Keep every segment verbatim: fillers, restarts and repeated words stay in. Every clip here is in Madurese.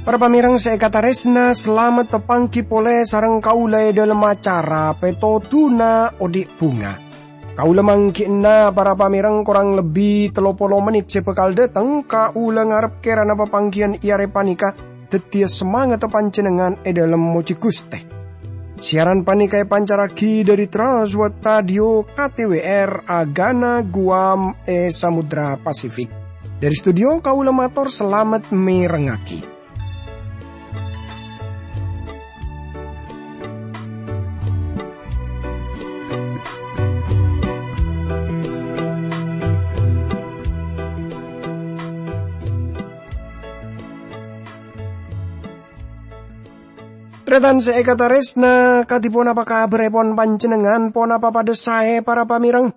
Para pamèrèng sè èkatarèsna, salamet tapangghi polè sareng kaulâ è dhâlem acara Pètodhuna Odi' Bhunga. Kaulâ mangghi'na para pamèrèng korang lebbi tello polo mennit sè bhâkal dâteng, kaulâ ngarep kèrana papangghiyân è arè panèka dhâddhiyâ samangatta panjhennengngan è dhâlem mojhi Ghustè. Siaran panèka èpancarraghi dhâri Trans World Radio K T W R Agana Guam è Samudra Pasifik. Dhâri studio kaulâ mator salamet mèrengngaghi. Tarètan sè èkatarèsna, kadhi ponapa kabhârèpon panjhennengngan? Ponapa padhâ saè, para pamèrèng?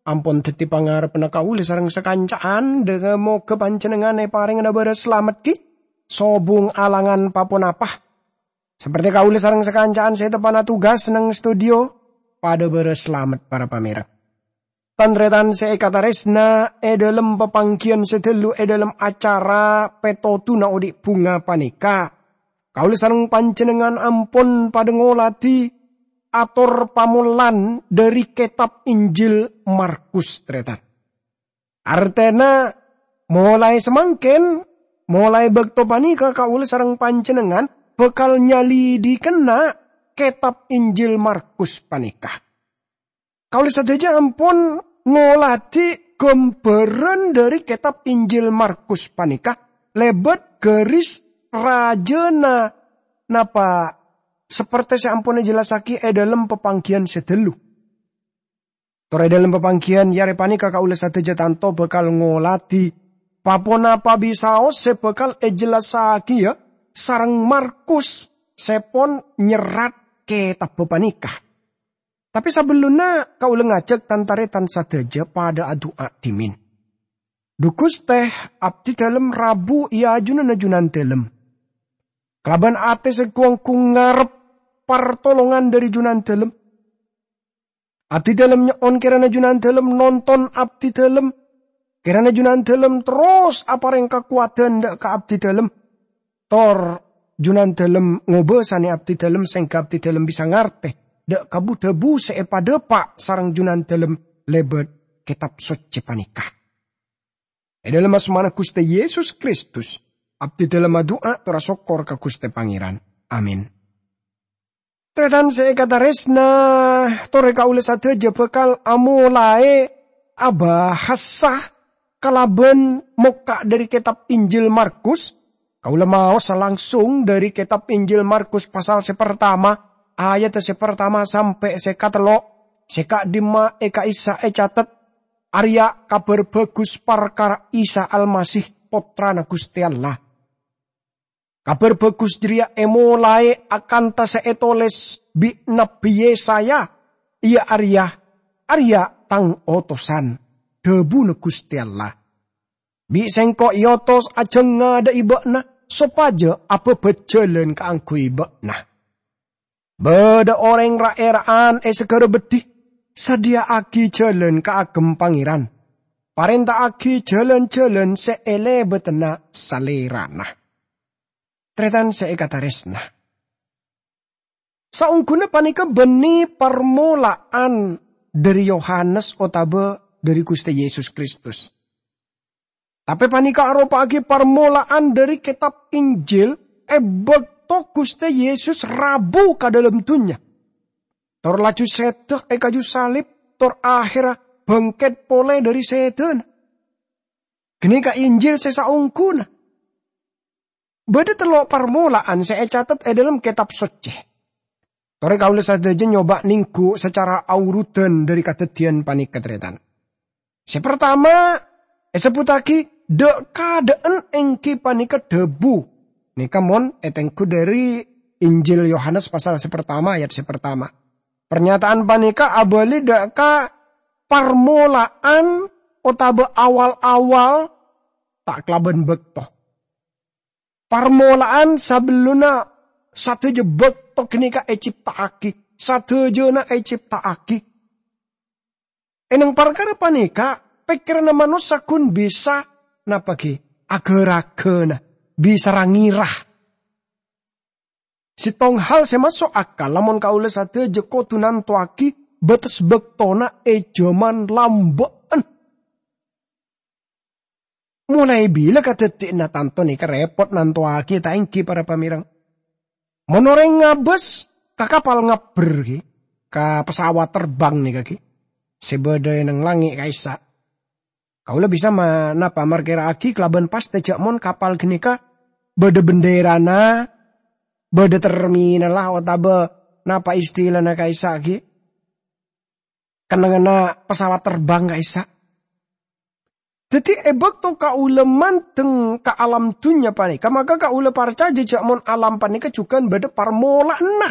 Ampon dhâddhi pangarebbhâ kaulâ sareng sakanca'an, dhâ-, moghâ panjhennengngan èparèngana bârâs salamet ghi' sobung alangan pa-ponapa. Saperte kaulâ sareng sakanca'an sè teppa'na tugas neng studio, padhâ bârâs salamet, para pamèrèng. Tan-tarètan sè èkatarèsna, è dhâlem papangghiyân sè ghâllu è dhâlem acara Pètodhuna Odi' Bhunga panèka, kaulâ sareng panjhennengngan ampon padhâ ngoladhi ator pamollan dhâri kètab Injil Markus, tarètan. Artèna, molaè samangkèn, molaè bâkto panèka kaulâ sareng panjhennengngan bhâkal nyalidhighi kètab Injil Markus panèka. Kaulâ sadhâjâ ampon ngoladhi ghâmbhârân dhâri kètab Injil Markus panèka lèbât garis rajâna napa saperte sè ampon èjellassaghi è dhâlem papangghiyân sè ghâllu. Tor è dhâlem papangghiyân è arè panèka kaulâ sadhâjâ tanto bhâkal ngoladhi pa-ponapa bisaos sè bhâkal èjellassaghi, yâ, sareng Markus sè pon nyerrat kètabbhâ panèka. Tapè sabellunna kaulâ ngajhâk tan-tarètan sadhâjâ padhâ adu'a dhimèn. Dhu Ghustè, abdhi dhâlem rabu è ajunanna Junandhâlem. Kalabân atè sè gu-onggu ngarep partolongan dhâri Junandhâlem. Abdhi dhâlem nyo'on kèrana Junandhâlem nonton abdhi dhâlem. Kèrana Junandhâlem terros aparèng kakowadhân dhâ' ka abdhi dhâlem. Tor Junandhâlem ngobâsanè abdhi dhâlem sèngghâ abdhi dhâlem bisa ngartè dhâ' ka bu-dhâbu sè èpadhâpa' sareng Junandhâlem lèbât Kètab Soccè panèka. È dhâlem asmana Ghustè Yesus Kristus, abdhi dhâlem adu'a tor asokkor ka Ghustè Pangèran. Amin. Tarètan sè èkatarèsna, torè kaulâ sadhâjâ bhâkal amolaè abahasa kalabân mokka' dhâri kètab Injil Markus. Kaulâ maosa langsung dhâri kètab Injil Markus pasal sè partama, ayadhâ sè partama sampè' sè katello', sè ka'dimma è ka'issa' ècatet, arèya Kabhâr Bhâghus parkara Isa Almasih, Pottrana Ghustè Allah. Kabhâr Bhâghus jârèya èmolaè akanta sè ètolès bi' Nabbhi Yesaya, iyâ arèya, "Arèya Tang otosan," dhâbuna Ghustè Allah. "Bi' Sèngko' èotos ajhângnga dâ' è bâ'na, sopajâ abâbât jhâlân kaangghuy bâ'na." Bâdâ orèng ra'-èra'an è saghârâ beddhi, sadhiyâ'aghi jhâlân kaagem Pangèran, parènta'aghi jhâlân-jhâlân sè èlèbâdhâna Salèrana. Tarètan sè èkatarèsna. Saongghuna panèka bânnè parmola'an dhâri Yohanes otabâ dhâri Ghustè Yesus Kristus. Tapè panèka aropa'aghi parmola'an dhâri kètab Injil è bâkto Ghustè Yesus rabu ka dhâlem dhunnya, tor laju sèdhâ è kaju salib, tor ahèrra bângkèt polè dhâri sèdhâna. Ghânèka Injil sè saongghuna. Bâdâ tello' parmola'an sè ècatet è dhâlem Kètab Soccè. Torè kaulâ sadhâjâ nyoba nèngghu sacara aurudan dhâri kadhâddhiyân panèka, tarètan. Sè partama, èsebbhuttaghi dhâ'-kadhâ'ân èngghi panèka dhâbu. Nèka mon ètengghu dhâri Injil Yohanes pasal sè partama, ayat sè partama. Parnyataan panèka abâli dhâ' ka parmola'an otabâ awal-awal ta' kalabân bâkto. Parmola'an sabellunna Sadhâjâ bâkto ghânèka ècipta'aghi, sadhâjâna ècipta'aghi. È neng parkara panèka, pèkkèranna manossa ghun bisa, napa ghi, aghârâghâna, bisa ra-ngèra. Sèttong hal sè maso' akal, lamon kaulâ sadhâjâ kodhu nantowaghi bâtes bâktona è jhâman lambâ'ân. Molaè bilâ kadhâddhiyânna tanto nèka rèpot nantowaghi, ta' èngghi, para pamèreng? Mon orèng ngabâs ka kapal ngabbher ghi, ka pesawat terbang nèka ghi, sè bâdâ è neng langngè' ka'issa'. Kaulâ bisa ma-, napa markèra'aghi kalabân pastè jhâ' mon kapal ghânèka bâdâ bendèrana, bâdâ terminalla, otabâ napa istilana ka'issa' ghi? Kennengnganna pesawat terbang ka'issa'. Dhâddhi, è bâkto kaulâ mandeng ka alam dhunnya panèka, maka kaulâ parcajâ jhâ' mon alam panèka jhughân bâdâ parmola'anna.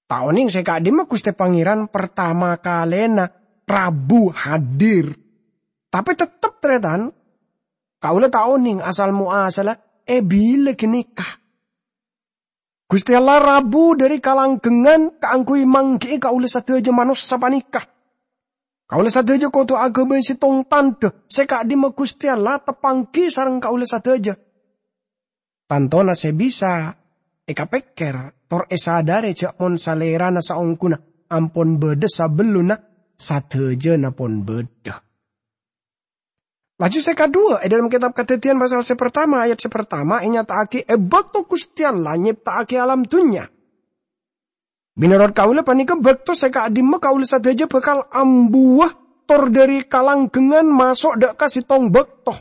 Ta' onèng sè ka'dimma Ghustè Pangèran partama kalèna rabu hadir. Tapè tettep, tarètan, kaulâ ta' onèng asal mo'asalla è bilâ ghânèka. Ghustè Allah rabu dâri kalanggengngan kaangghuy mangghi'i kaulâ sadhâjâ manossa panèka. Kaulâ sadhâjâ kodhu aghâbây sèttong tandhâ sè ka'dimma Ghustè Allah teppangghi sareng kaulâ sadhâjâ. Tantona sè bisa èkapèkkèr tor èsadârè jhâ' mon Salèrana saongghuna ampon bâdâ sabellunna sadhâjâna pon bâdâ. Laju sè kaduwâ, è dâlem kètab Kadhâddhiyân pasal sè partama ayat sè partama ènyata'aghi è bâkto Ghustè Allah nyèpta'aghi alam dhunnya. Mènorot kaulâ panèka bâkto sè ka'dimma kaulâ sadhâjâ bhâkal ambuwâ tor dâri kalanggengngan maso' dâ' ka sèttong bâkto.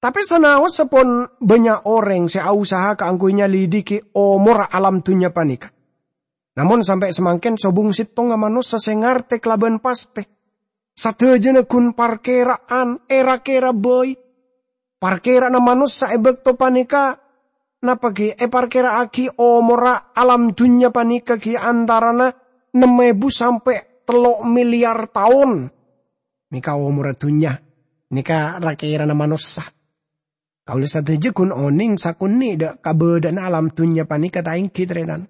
Tapè sanaossa pon bânnya' orèng sè ausaha kaangghuy nyalidiki omorra alam dhunnya panèka. Namong sampè' samangkèn sobung sèttonga manossa sè ngartè kalabân pastè. Sadhâjâna ghun parkèra'an, èra-kèra bhâi. Parkèra'anna manossa è bâkto panèka, napa ghi, èparkèra'aghi omorra alam dhunnya panèka ghi antarana nem èbu sampè' tello' milyar taon. Nèka omorra dhunnya, nèka ra-kèrana manossa. Kaulâ sadhâjâ ghun onèng sakonè' dâ' kabâdâ'ânna alam dhunnya panèka ta' èngghi, tarètan.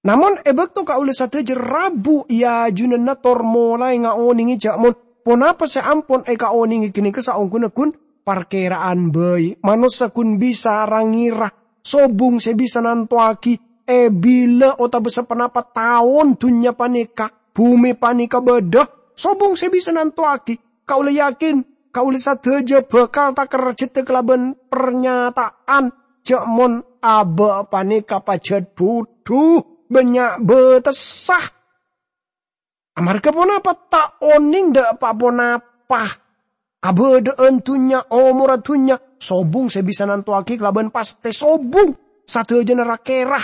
Namong è bâkto kaulâ sadhâjâ rabu è ajunanna tor molaè ngaonèngè jhâ' mon ponapa sè ampon èkaonèngè ghânèka saongghuna ghun parkèra'an bhâi, manossa ghun bisa ra-ngèra, sobung sè bisa nantowaghi è bilâ otabâ saponapa taon dhunnya panèka, bhumè panèka bâdâ, sobung sè bisa nantowaghi. Kaulâ yakin, kaulâ sadhâjâ bhâkal takerjhâddhâ kalabân parnyata'an jhâ' mon abâ' panèka pajhât budhu, bânnya' bâtessa. Amarghâ ponapa? Ta' onèng dâ' pa-ponapa. Kabâdâ'ân dhunnya, omorra dhunnya, sobung sè bisa nantowaghi kalabân pastè sobung, sadhâjâna ra-kèra.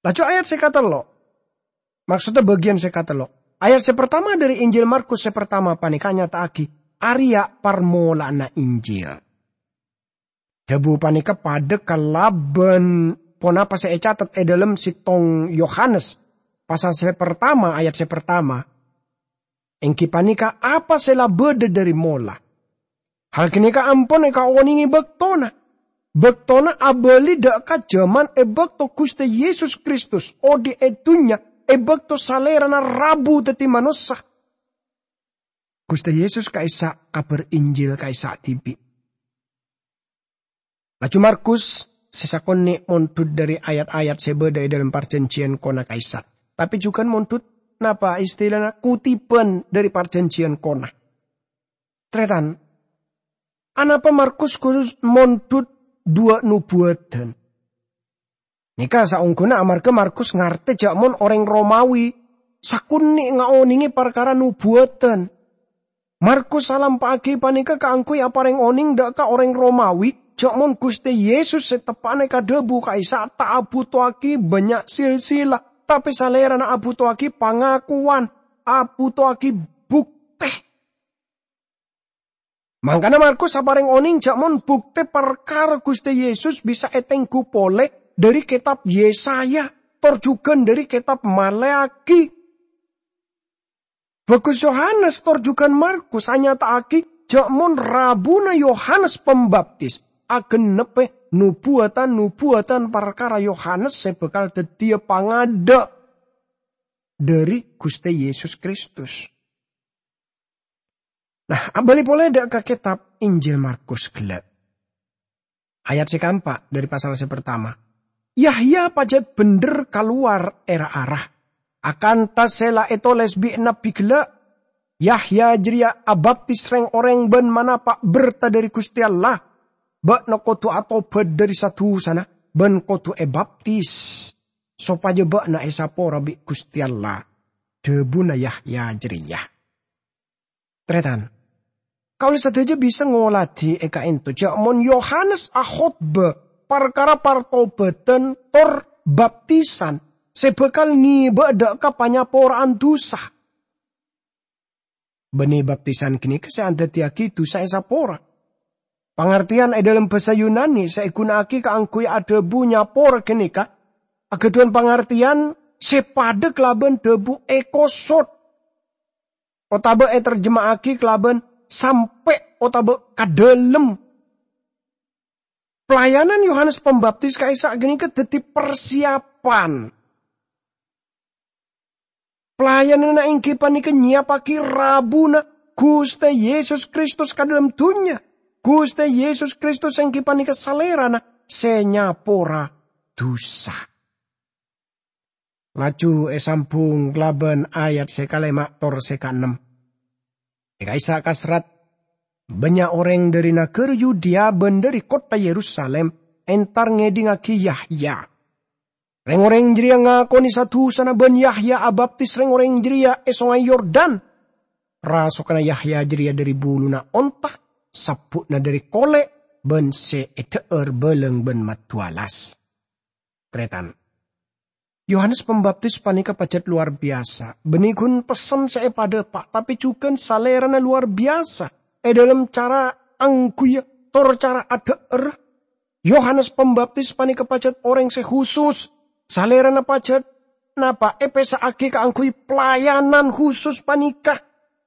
Laju ayat sè katello'. Maksodda bâgiyân sè katello'. Ayat sè partama dâri Injil Markus sè partama panèka nyata'aghi arèya parmola'anna Injil. Dhâbu panèka padâ kalabân ponapa sè ècatet è dâlem sèttong Yohanes, pasal sè partama, ayat sè partama. Èngghi panèka apa sè la bâdâ dâri mola. Hal ghânèka ampon èkaonèngè bâktona. Bâktona abâli dâ' ka jhâman è bâkto Ghustè Yesus Kristus odi' è dhunnya, è bâkto Salèrana rabu dhâddhi manossa. Ghustè Yesus ka'issa' kabhâr Injil ka'issa' dhibi'. Laju Markus sè sakonè' mondhut dâri ayat-ayat sè bâdâ è dâlem Parjhânjhiyân Kona ka'issa', tapè jhughân mondhut napa istilana kutipan dâri Parjhânjhiyân Kona. Tarètan, anapa Markus kodhu mondhut duwâ' nubuwâdhân? Nèka saongghuna amarghâ Markus ngartè jhâ' mon orèng Romawi sakonè' ngaonèngè parkara nubuwâdhân. Markus alampa'aghi panèka kaangghuy aparèng onèng dâ' ka orèng Romawi, jhâ' mon Ghustè Yesus sè teppa'na èkadhâbu ka'issa' ta' abhutoaghi bânnya' silsila, tapè Salèrana abhutoaghi pangakowan, abhutoaghi buktè. Mangkana Markus aparèng onèng jhâ' mon buktè parkara Ghustè Yesus bisa ètengghu polè dâri kètab Yesaya, tor jhughân dâri kètab Maleakhi. Bhâghus Yohanes tor jhughân Markus anyata'aghi jhâ' mon rabuna Yohanes Pambaptis, agennebbhâ nobuwâdhân-nobuwâdhân parkara Yohanes sè bhâkal dhâddhiyâ pangadâ' dhâri Ghustè Yesus Kristus. Nah, abâli polè dâ' ka kètab Injil Markus ghellâ'. Ayat sè kaempa' dhâri pasal sè partama. Yahya pajhât bhendher kalowar è ra-ara, akantha sè la ètolès bi' nabbhi ghellâ'. Yahya jârèya abaptis rèng-orèng bân manapa' bertah dhâri Ghustè Allah. Bâ'na kodhu atobhât dhâri sa-dusana bân kodhu èbaptis, sopajâ bâ'na èsapora bi' Ghustè Allah, dhâbuna Yahya jârèya. Tarètan, kaulâ sadhâjâ bisa ngoladhi è ka'ènto jâ' mon Yohanes akhotbah parkara partobhâdhân tor baptisan sè bhâkal ngèbâ dâ' ka panyapora'an dusa. Bânnè baptisan ghânèka sè adhâddhiyâghi dusa èsapora. Pangartèyan è dhâlem bhâsa Yunani sè èghuna'aghi kaangghuy adhâbu nyapora ghânèka aghâdhuwân pangartèyan sè padâ kalabân dhâbu èkosot, otabâ ètarjema'aghi kalabân sampè' otabâ ka dhâlem. Pelayanan Yohanes Pembaptis ka'issa' ghânèka dhâddhi parsiyapan. Pelayananna èngghi panèka nyèyappaghi rabuna Ghustè Yesus Kristus ka dhâlem dhunnya. Ghustè Yesus Kristus èngghi panèka Salèrana sè nyapora dusa. Laju èsambhung kalabân ayat sè kalèma' tor sè kaennem. È ka'issa' kasrat, bânnya' orèng dhâri naghârâ Yudea bân dhâri kottha Yerusalim entar ngèdhingngaghi Yahya. Rèng-orèng jârèya ngakonè sa-dusana bân Yahya abaptis rèng-orèng jârèya è Songay Yordan. Rasoganna Yahya jârèya dhâri buluna onta, sabbu'na dhâri kolè', bân sè èdhâ'âr bâlâng bân maduwalas. Tarètan, Yohanes Pembaptis panèka pajhât lowar biyasa. Bânnè ghun pessen sè èpadâpa', tapè jhughân Salèrana lowar biyasa è dhâlem cara angghuyyâ tor cara adhâ'ârrâ. Yohanes Pembaptis panèka pajhât orèng sè husus. Salèrana pajhât napa èpèssa'aghi kaangghuy pelayanan husus panèka.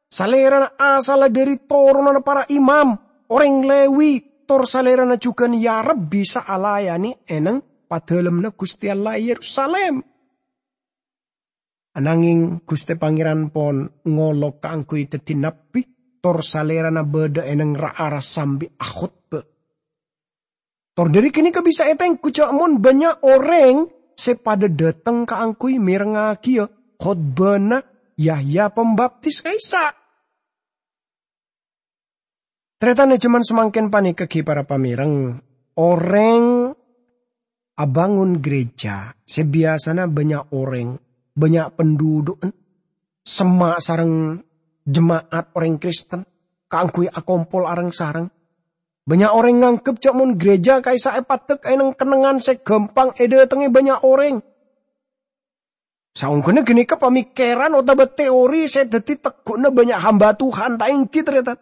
Salèrana asalla dhâri toronanna para imam, orèng Lewi, tor Salèrana jhughân èarep bisa alayanè è neng padâlemmanna Ghustè Allah è Yerusalim. Ananghing Ghustè Pangèran pon ngolok kaangghuy dhâddhi nabbhi, tor Salèrana bâdâ è neng ra-ara sambi akhotbah. Tor dhâri ghânèka bisa ètengghu jâ' mon bânnya' orèng sè padâ dhâteng kaangghuy mèrengngagiyâ khotbana Yahya Pembaptis ka'issa'. Tarètan, è jhâman samangkèn panèka ghi' para pamèreng, orèng abângon gereja sè biyasana bânnya' orèng, bânnya' penduduk, semma' sareng jema'at orèng Kristen kaangghuy akompol areng-sareng. Bânnya' orèng nganggep jâ' mon gereja ka'issa' èpaddek è neng-kennengngan sè ghâmpang èdâtengngè bânnya' orèng. Saongghuna ghânèka pamèkkèran otabâ teori sè dhâddhi tegghu'na bânnya' hamba Tuhan, ta' ènggi, tarètan?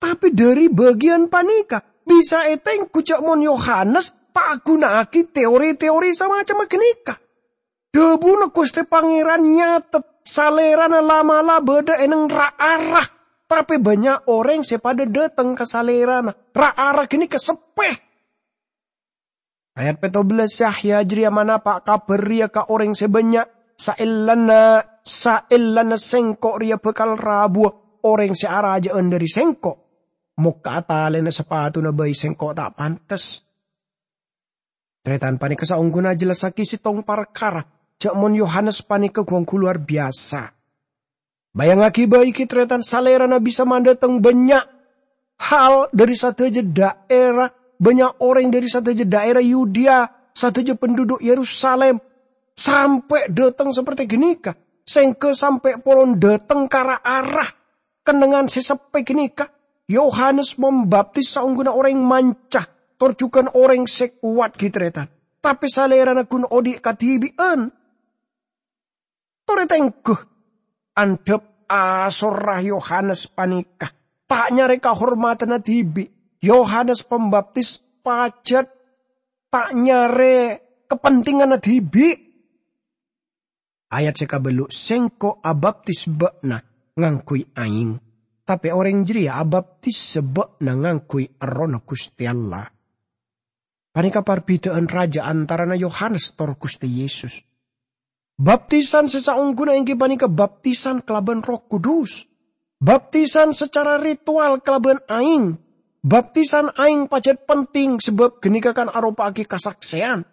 Tapè dhâri bâgiyân panèka bisa ètengghu jâ' mon Yohanes ta' aghuna'aghi teori-teori samacemma ghânèka. Dhâbuna Ghustè Pangèran nyatet, Salèrana la'-mala' bâdâ è neng ra-ara, tapè bânnya' orèng sè padâ dhâteng ka Salèrana. Ra-ara ghânèka seppè. Ayat pètto bellâs, Yahya jârèya manapa' kabhâr rèya ka orèng sè bânnya', "Saellana, saellana sèngko' rèya bhâkal rabuwâ orèng sè arajâ'ân dhâri sèngko'. Mokka'a talèna sapatuna bhâi sèngko' ta' pantes." Tarètan, panèka saongghuna ajhellassaghi sèttong parkara, jâ' mon Yohanes panèka ghu-ongghu lowar biyasa. Bâjângaghi bhâi ghi, tarètan, Salèrana bisa mandhâteng bânnya' hal dhâri sadhâjâ dhaèra, bânnya' orèng dhâri sadhâjâ dhaèra Yudea, sadhâjâ penduduk Yerusalim, sampè' dhâteng saperti ghânèka, sèngghâ sampè' polon dhâteng ka ra-ara. Kennengngan sè seppè ghânèka, Yohanes Pembaptis saongghuna orèng manca, tor jhughân orèng sè kowat ghi, tarètan. Tapè Salèrana ghun odi' kadhibi'ân. Torè tèngghu, andhâp asorra Yohanes panèka ta' nyarè kahormadhânna dhibi'. Yohanes Pembaptis pajhât ta' nyarè kapentinganna dhibi'. Ayat sè kabâllu', "Sèngko' abaptis bâ'na ngangghuy aèng, tapè orèng jârèya abaptis bâ'na ngangghuy Errohna Ghustè Allah." Panèka parbidhâ'ân rajâ antarana Yohanes tor Ghustè Yesus. Baptisan sè saongghuna èngghi panèka baptisan kalabân Erroh Kudus. Baptisan sacara ritual kalabân aèng. Baptisan aèng pajhât penting sabâb ghânèka kan aropa'aghi kasaksèyan.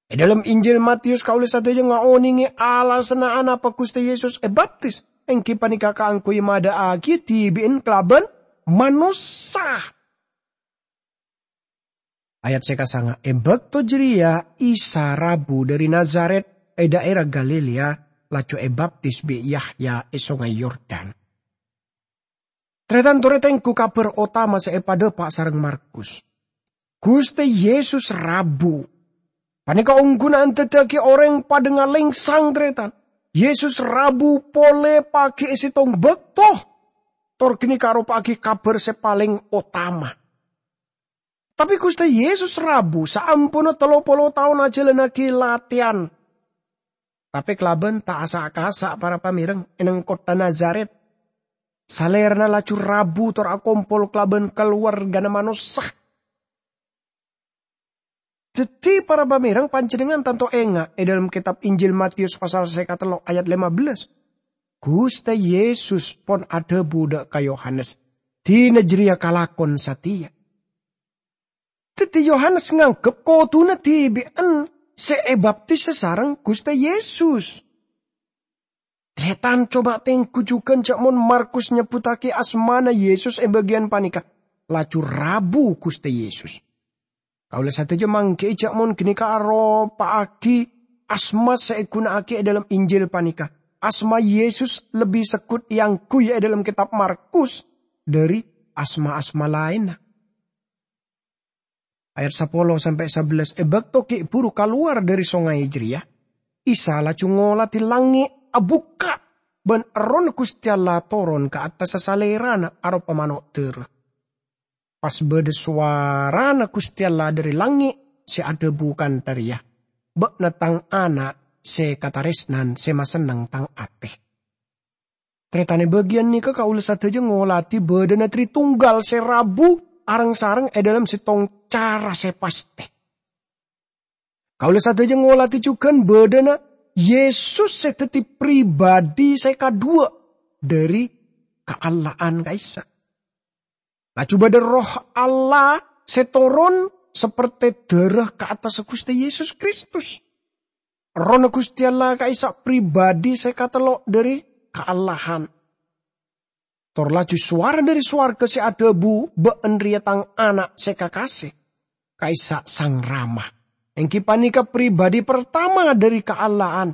È dhâlem Injil Matius kaulâ sadhâjâ ngaonèngè alasanna anapa Ghustè Yesus èbaptis, èngghi panèka kaangghuy madhâ'aghi dhibi'en kalabân manossa. Ayat sè kasanga, "È bâkto jârèya Isa rabu dhâri Nazaret è dhaèra Galilea, laju èbaptis bi' Yahya è Songay Yordan." Tarètan torè tengghu kabhâr otama sè èpadhâpa' sareng Markus. Ghustè Yesus rabu. Panèka ongguna andaddhâghi orèng padâ ngalèngsang, tarètan. Yesus rabu polè pagi è sèttong bâkto. Tor ghânèka aropa'aghi kabhâr sè palèng otama. Tapè Ghustè Yesus rabu saamponna tello polo taon ajhâlannaghi latèyan. Tapè kalabân ta' asa'-kasa' para pamèreng è neng kottha Nazaret. Salèrana laju rabu tor akompol kalabân kalowarghâna manossa. Dhâddhi, para pamèreng, panjhennengngan tanto enga' è dhâlem kètab Injil Matius pasal sè katello ayat lèma bellâs. Ghustè Yesus pon adhâbu dhâ' ka Yohanes, "Dina jârèya kalakon satèya." Dhâddhi, Yohanes nganggep kodhuna dhibi'en sè èbaptis sareng Ghustè Yesus. Tarètan, coba tengghu jhughân jâ' mon Markus nyebbhuttaghi asmana Yesus è bâgiyân panèka, laju rabu Ghustè Yesus. Kaulâ sadhâjâ mangghi'i jâ' mon ghânèka aropa'aghi asma sè èghuna'aghi è dhâlem Injil panèka. Asma Yesus lebbi segghut èangghuy è dhâlem kètab Markus dhâri asma-asma laènna. Ayat sapolo sampè' sabellâs, è bâkto ghi' bhuru kalowar dhâri songay jârèya, Isa laju ngolatè langngè' abukka', bân Errohna Ghustè Allah toron ka attassa Salèrana aropa mano' dârâ. Pas bâdâ sowarana Ghustè Allah dhâri langngè' sè adhâbu kantha rèya, "Bâ'na Tang Ana' sè katarèsnan, sè masenneng Tang atè." Tarètan, è bâgiyân nèka kaulâ sadhâjâ ngolatè bâdâna Tritunggal sè rabu areng-sareng è dhâlem sèttong cara sè pastè. Kaulâ sadhâjâ ngolatè jhughân bâdâna Yesus sè dhâddhi pribadi sè kadhuwâ' dhâri Kaallahan ka'issa'. Laju bâdâ Erroh Allah sè toron sapertè dârâ ka attassa Ghustè Yesus Kristus. Errohna Ghustè Allah ka'issa' pribadi sè katello' dhâri Kaallahan. Tor laju sowara dhâri sowarghâ sè adhâbu, "Bâ'en rèya Tang Ana' sè kakasè." Ka'issa' Sang Rama, èngghi panèka pribadi partama dhâri Kaallahan.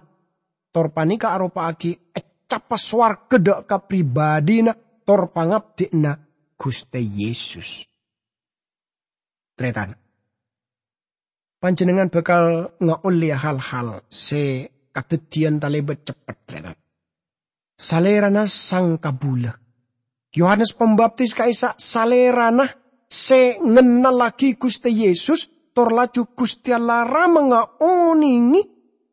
Tor panèka aropa'aghi ècapa sowarghâ dhâ' ka pribadina tor pangabdhi'na Ghustè Yesus. Tarètan, panjhennengngan bhâkal ngaollèya hal-hal sè kadhâddhiyân talèbât ceppet, tarètan. Salèrana sang kabulâ. Yohanes Pambaptis ka'issa' salèrana sè ngennallaghi Ghustè Yesus, tor laju Ghustè Allah Rama ngaonèngè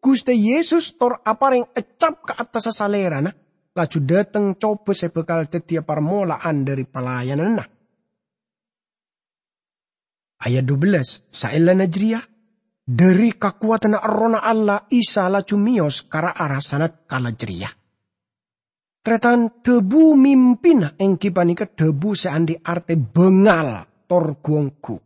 Ghustè Yesus tor aparèng ècap ka attassa salèrana, laju dhâteng cobâ sè bhâkal dhâddhiyâ parmola'an dhâri palayananna. Ayat dubellâs, saellana jârèya, dhâri kakowadhânna Errohna Allah, Isa laju mèyos ka ra-ara sanatkala jârèya. Tarètan, dhâbu mimpina èngghi panèka dhâbu sè andi' artè bângal tor gu-onggu.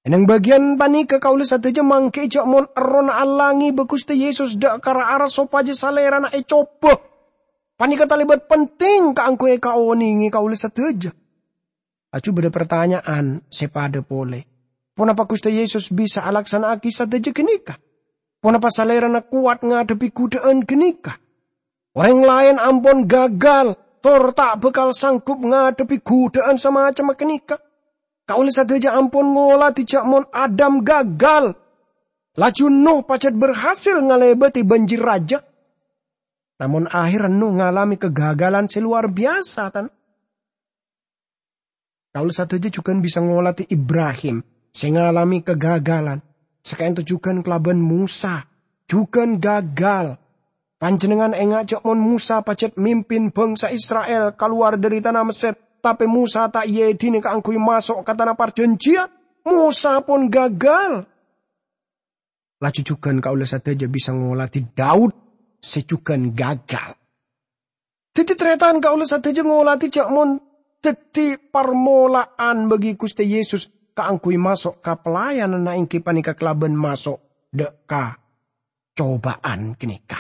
È neng bâgiyân panèka kaulâ sadhâjâ mangghi'i jâ' mon Errohna Allah ngèbâ Ghustè Yesus dhâ' ka ra-ara sopajâ Salèrana ècobâ. Panèka talèbât penting kaangghuy èkaonèngè kaulâ sadhâjâ. Laju bâdâ partanya'an sè padâ polè. Ponapa Ghustè Yesus bisa alaksana'aghi sadhâjâ ghânèka? Ponapa Salèrana kowat ngadhebbhi ghudhâ'ân ghânèka? Orèng laèn ampon gagal, tor ta' bhâkal sanggup ngadhebbhi ghudhâ'ân samacemma ghânèka. Kaulâ sadhâjâ ampon ngolatè jâ' mon Adam gagal, laju Nuh pajhât berhasil ngalèbâdhi bânjir rajâ. Namong ahèrra Nuh ngalamè kagagalan sè lowar biyasa, tan. Kaulâ sadhâjâ jhughân bisa ngolatè Ibrahim sè ngalamè kagagalan. Sakaènto jhughân kalabân Mosa, jhughân gagal. Panjhennengngan enga' jâ' mon Mosa pajhât mimpin bhângsa Isra'il kalowar dhâri tana Messèr, tapè Mosa ta' èedhinè kaangghuy maso' ka Tana Parjhânjhiyân. Mosa pon gagal. Laju jugan kaulâ sadhâjâ bisa ngoladhi Daud sè jugan gagal. Dhâddhi, tarètan, kaulâ sadhâjâ ngoladhi jhâ' mon dhâddhi parmola'an bagi Ghustè Yesus kaangghuy maso' ka pelayananna èngghi panèka kalabân maso' dâ' ka cobâ'ân ghânèka.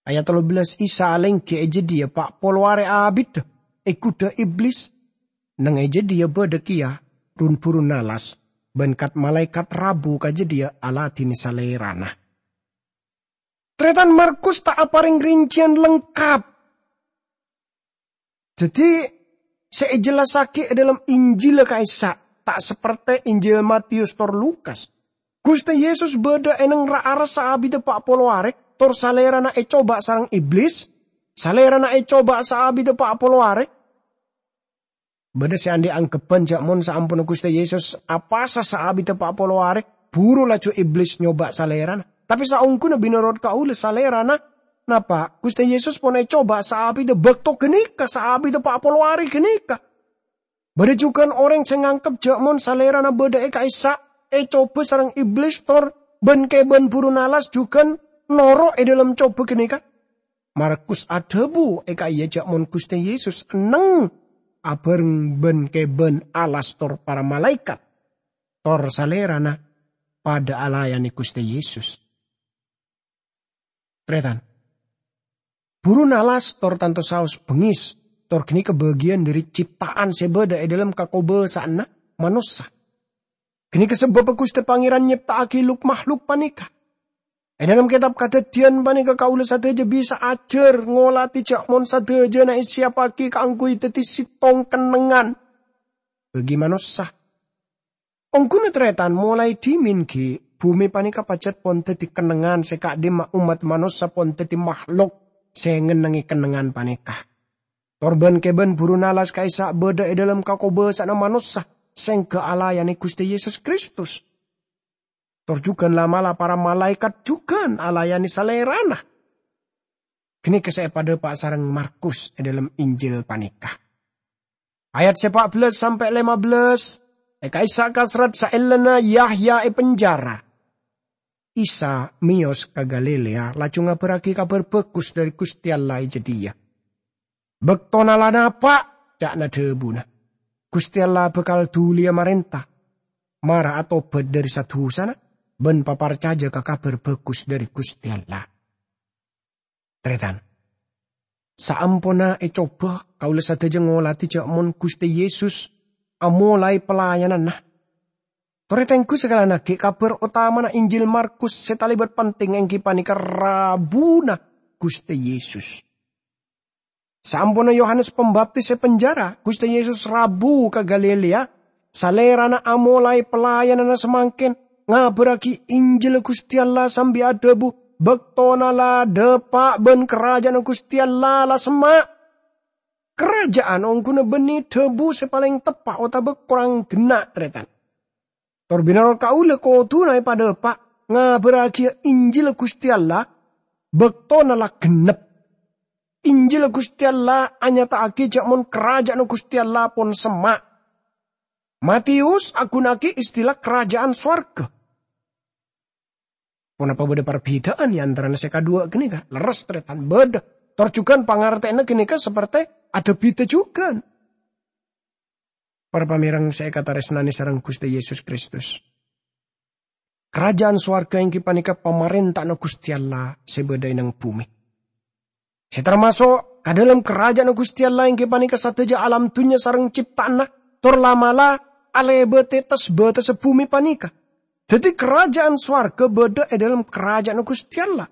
Ayat tello bellâs, Isa alèngghi è jâdiyâ pa' polo arè abiddhâ è ghudhâ Iblis, neng è jâdiyâ bâdâ kèya run-burun nalas, bân kat-malaèkat rabu ka jâdiyâ aladhinè Salèrana. Tarètan, Markus ta' aparèng rincèyan lengkap. Dhâddhi, sè èjellassaghi è dhâlem Injilla ka'issa' ta' saperte Injil Matius tor Lukas. Ghustè Yesus bâdâ è neng ra-, ra-, saabiddhâ pa' polo arè, tor Salèrana ècoba sareng Iblis. Salèrana ècoba saabiddhâ pa' polo arè. Bâdâ sè andi' anggebbhân jhâ' mon saamponna Ghustè Yesus apasa saabiddhâ pa' polo arè, buru laju Iblis nyoba Salèrana. Tapè saongghuna, mènorot kaulâ, Salèrana napa? Ghustè Yesus pon ècoba saabiddhâ bâkto ghânèka, saabiddhâ pa' polo arè ghânèka. Bâdâ jugan orèng sè nganggep jhâ' mon Salèrana bâdâ è ka'issa', ècoba sareng Iblis tor bân-kèbân buru nalas jugan noro' è dhâlem coba ghânèka. Markus adhâbu è ka'iyâ jhâ' mon Ghustè Yesus enneng abhâreng bân-kèbân alas tor para malaèkat, tor Salèrana padâ alayanè Ghustè Yesus. Tarètan, buru nalas tor tanto saos bengngis, tor ghânèka bâgiyân dhâri cipta'an sè bâdâ è dhâlem kakobâsa'anna manossa. Ghânèka sabâbbhâ Ghustè Pangèran nyèpta'aghi luk-mahluk panèka. È dhâlem kètab Kadhâddhiyân panèka kaulâ sadhâjâ bisa ajhâr ngoladhi jhâ' mon sadhâjâna èsiyappaghi kaangghuy dhâddhi sèttong kennengngan bagi manossa. Ongghuna tarètan, molaè dhimèn ghi' bhumè panèka pajhât pon dhâddhi kennengngan sè ka'dimma ommat manossa pon dhâddhi mahlok sè ngennengngè kennengngan panèka. Tor bân-kèbân buru nalas ka'issa' bâdâ è dhâlem kakobâsa'anna manossa sè èngghâ alayanè Ghustè Yesus Kristus. Tor jugan la'-mala' para malaèkat jugan alayanè Salèrana. Ghânèka sè èpadhâpa' sareng Markus è dhâlem Injil panèka. Ayat sè pa' bellâs sampè' lèma bellâs, è ka'issa' kasrat saellana Yahya èpenjara, Isa mèyos ka Galilea, laju ngabârraghi Kabhâr Bhâghus dhâri Ghustè Allah è jâdiyâ. "Bâktona la napa'," ca'na dhâbuna, "Ghustè Allah bhâkal dhuliyâ marènta. Mara atobhât dhâri sa-dhusana bân paparcajâ ka Kabhâr Bhâghus dhâri Ghustè Allah." Tarètan, saamponna ècoba, kaulâ sadhâjâ ngoladhi jhâ' mon Ghustè Yesus amolaè pelayananna. Torè tengghu sakalana ghi' kabhâr otamana Injil Markus sè talèbât penting èngghi panèka rabuna Ghustè Yesus. Saamponna Yohanes Pambaptis èpenjara, Ghustè Yesus rabu ka Galilea. Salèrana amolaè pelayananna samangkèn, ngabârraghi Injil Ghustè Allah sambi adhâbu, "Bâktona la dâpa' bân Karajâânna Ghustè Allah la semma'." Karajâân ongghuna bânnè dhâbu sè palèng teppa' otabâ korang ghenna', tarètan. Tor bhârâng kaulâ kodhuna èpadâpa', ngabârrâghiyâ Injil Ghustè Allah, bâktona la ghennep. Injil Ghustè Allah anyata'aghi jhâ' mon Karajâânna Ghustè Allah pon semma'. Matius aghunaaghi istilah Karajâân Sowarghâ. Ponapa bâdâ parbhidhâân è antarana sè kadhuwâ' ghânèka? Lerres, tarètan, bâdâ. Tor jhughân pangartèyanna ghânèka saperte adâ bhidhâ jhughân. Para pamèreng sè èkatarèsnanè sareng Ghustè Yesus Kristus. Karajâân sowarghâ èngghi panèka pamarènta'anna Ghustè Allah sè bâdâ è nang bhumè. Sè tamaso' ka dâlem Karajâânna Ghustè Allah èngghi panèka sadhâjâ alam dhunnya sareng cipta'anna, tor la'-mala' alèbâtè tes-bâtessa bhumè panèka. Dhâddhi, Karajâân sowarghâ bâdâ è dâlem Karajâânna Ghustè Allah.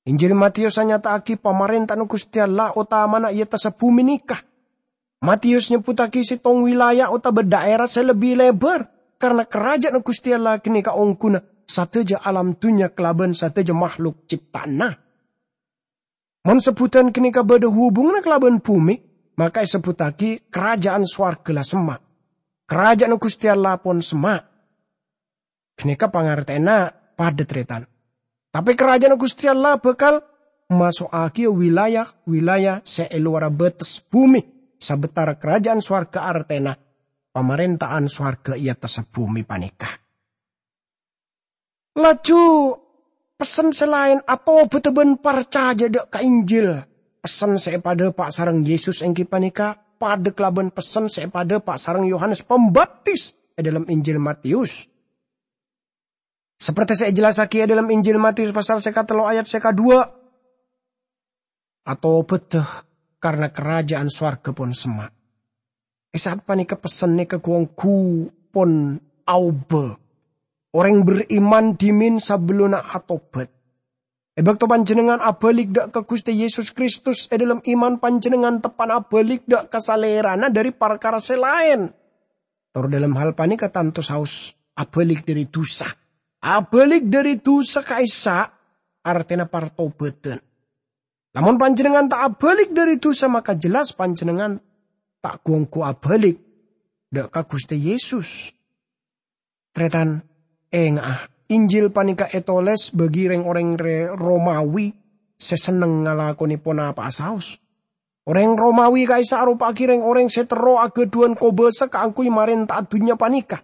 Injil Matius anyata'aghi pamarènta'anna Ghustè Allah otamana è attassa bhumè nèka. Matius nyebbhuttaghi sèttong wilayah otabâ dhaèra sè lebbi lèbâr, karna Karajâânna Ghustè Allah ghânèka ongghuna sadhâjâ alam dhunnya kalabân sadhâjâ mahluk cipta'anna. Mon sebbhudhân ghânèka bâdâ hubunganna kalabân bhumè, maka èsebbhuttaghi Karajâân Sowarghâ la semma'. Karajâânna Ghustè Allah pon semma'. Ghânèka pangartèyanna padâ, tarètan. Tapè Karajâânna Ghustè Allah bhâkal maso'aghiyâ wilayah-wilayah sè è lowarra bâtes bhumè, sabâtara Karajâân Sowarghâ artèna pamarènta'an sowarghâ è attassa bhumè panèka. Laju pessen sè laèn, atobâdhâ bân parcajâ dhâ' ka Injil. Pessen sè èpadhâpa' sareng Yesus èngghi panèka padâ kalabân pessen sè èpadhâpa' sareng Yohanes Pambaptis è dhâlem Injil Matius. Saperti sè èjellassaghi è dhâlem Injil Matius pasal sè katello ayat sè kaduwâ', "Atobâdhâ, karna karaja'an sowarghâ pon semma'." È sa'at panèka pessen nèka ghu-ongghu pon aobâ. Orèng beriman dhimèn sabellunna atobât. È bâkto panjhennengngan abhâlik dhâ' ka Ghustè Yesus Kristus, è dhâlem iman panjhennengngan teppa'na abhâlik dhâ' ka Salèrana dhâri parkara sè laèn. Tor dhâlem hal panèka tanto saos abhâlik dhâri dhusa. Abhâlik dhâri dhusa ka'issa' artèna partobâdhân. Lamon panjhennengngan ta' abhâlik dhâri dhusa, maka jelas panjhennengngan ta' ghu-ongghu abhâlik dhâ' ka Ghustè Yesus. Tarètan, ènga'a, Injil panèka ètolès bagi rèng-orèng rè-, Romawi sè senneng ngalakonè ponapa'a saos. Orèng Romawi ka'issa' aropa'aghi rèng-orèng sè terro aghâdhuwân kobâsa kaangghuy marènta'a dhunnya panèka.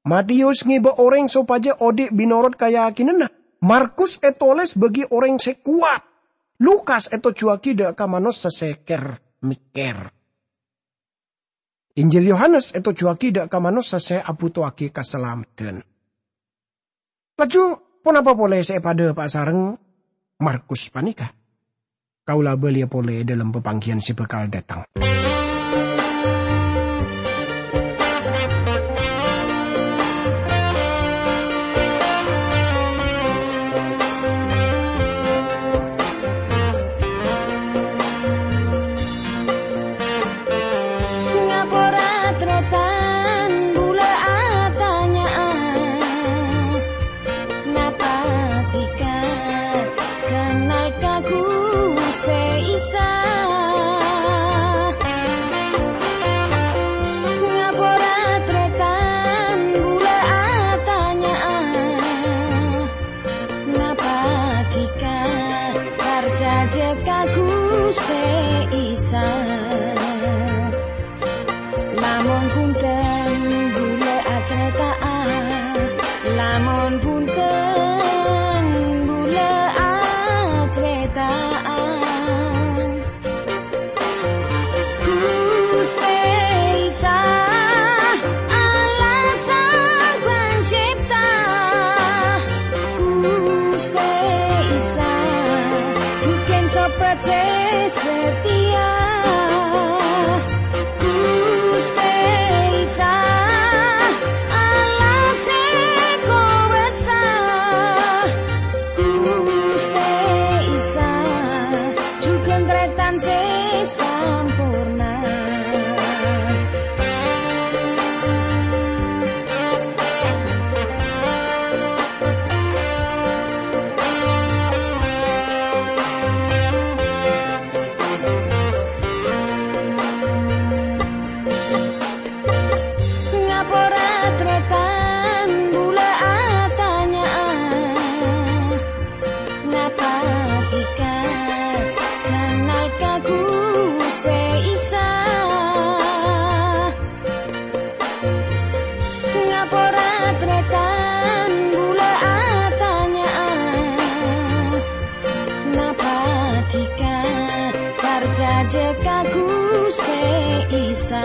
Matius ngèbâ orèng sopajâ odi' bhinorot kayakinanna. Markus ètolès bagi orèng sè kowat. Lukas ètojjhuwâghi dhâ' ka manossa sè kèr-mèkkèr. Injil Yohanes ètojjhuwâghi dhâ' ka manossa sè abhuto'aghi kasalameddhân. Laju, ponapa polè sè èpadhâpa'a sareng Markus panèka? Kaulâ abâliyâ polè è dhâlem papangghiyân sè bhâkal dâteng. Ngapora tarètan bulâ atanya'a, napa dhika kennal ka Ghustè Isa? Ngapora tarètan bulâ atanya'a, napa dhika parcajâ ka Ghustè Isa? Lamon bhunten bulâ acarèta'a, lamon bhunten bulâ acarèta'a. Ghustè Isa, Allah Sang Panjhipta. Ghustè Isa, jhughân sobbhât sè satèya. Ghustè Isa, Allah sè kobâsa. Ghustè Isa, jhughân tarètan sè samporna. Ngapora tarètan bulâ atanya'a, napa dhika kennal ka Ghustè Isa? Ngapora tarètan bulâ atanya'a, napa dhika parcajâ ka Ghustè Isa?